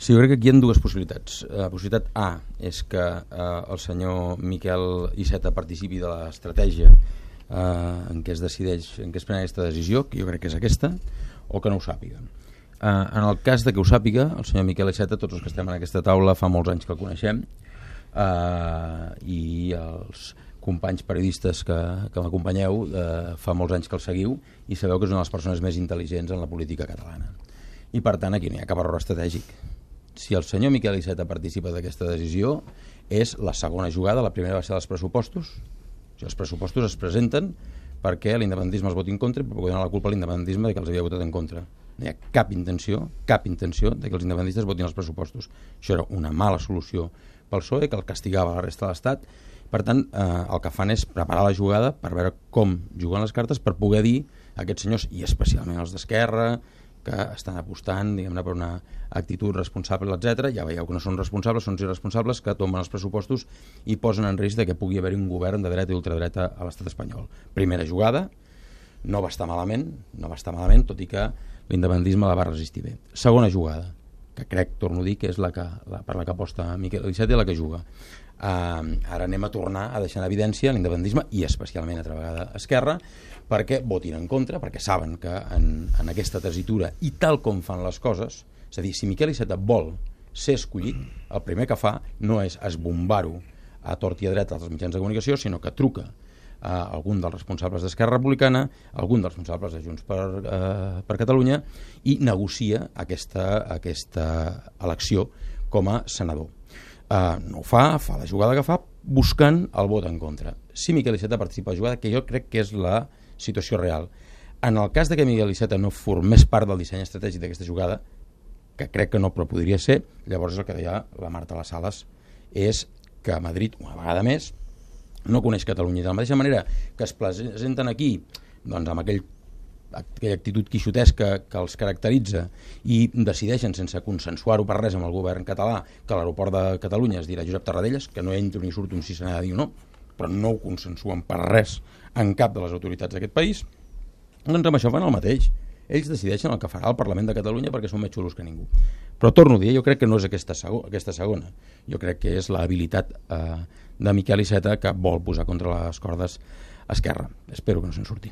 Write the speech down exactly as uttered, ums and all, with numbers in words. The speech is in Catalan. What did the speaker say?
Sí, jo crec que aquí hi ha dues possibilitats. La possibilitat A és que eh, el senyor Miquel Iceta participi de l'estratègia eh, en què es decideix, en què es pren aquesta decisió, que jo crec que és aquesta, o que no ho sàpiga. Eh, en el cas de que ho sàpiga, el senyor Miquel Iceta, tots els que estem en aquesta taula fa molts anys que el coneixem, eh, i els companys periodistes que, que m'acompanyeu eh, fa molts anys que el seguiu i sabeu que és una de les persones més intel·ligents en la política catalana. I per tant aquí no hi ha cap error estratègic. Si el senyor Miquel Iceta participa d'aquesta decisió, és la segona jugada. La primera va ser els pressupostos. O sigui, els pressupostos es presenten perquè l'independentisme els voti en contra i per poder donar la culpa a l'independentisme de que els havia votat en contra. No hi ha cap intenció, cap intenció de que els independentistes votin els pressupostos. Això era una mala solució pel P S O E, que el castigava a la resta de l'Estat. Per tant, eh, el que fan és preparar la jugada per veure com juguen les cartes, per poder dir a aquests senyors, i especialment els d'Esquerra, que estan apostant, diguem-ne, per una actitud responsable, etcètera. Ja veieu que no són responsables, són irresponsables, que tomben els pressupostos i posen en risc de que pugui haver-hi un govern de dreta i ultradreta a l'estat espanyol. Primera jugada, no va estar malament, no va estar malament, tot i que l'independentisme la va resistir bé. Segona jugada, que crec, torno a dir, que és la que, la, per la que aposta Miquel Iceta i la que juga. Uh, ara anem a tornar a deixar en evidència l'independentisme i especialment altra vegada Esquerra, perquè votin en contra, perquè saben que en, en aquesta tessitura i tal com fan les coses, és a dir, si Miquel Iceta vol ser escollit, el primer que fa no és esbombar-ho a tort i a dret als mitjans de comunicació, sinó que truca a algun dels responsables d'Esquerra Republicana, a algun dels responsables de Junts per, eh, per Catalunya, i negocia aquesta, aquesta elecció com a senador. Uh, no ho fa, fa la jugada que fa buscant el vot en contra. Si Miquel Iceta participa a la jugada, que jo crec que és la situació real, en el cas de que Miquel Iceta no formés part del disseny estratègic d'aquesta jugada, que crec que no, però podria ser, llavors el que deia la Marta Las Sales és que Madrid, una vegada més, no coneix Catalunya. De la mateixa manera que es presenten aquí doncs, amb aquell aquella actitud quixotesca que els caracteritza i decideixen sense consensuar-ho per res amb el govern català que l'aeroport de Catalunya es dirà Josep Tarradellas, que no entro ni surto si se n'ha de dir o no, però no ho consensuen per res en cap de les autoritats d'aquest país, doncs amb això fan el mateix. Ells decideixen el que farà el Parlament de Catalunya perquè són més xulos que ningú. Però torno a dir, jo crec que no és aquesta, sego aquesta segona. Jo crec que és l'habilitat eh, de Miquel Iceta que vol posar contra les cordes Esquerra. Espero que no se'n surti.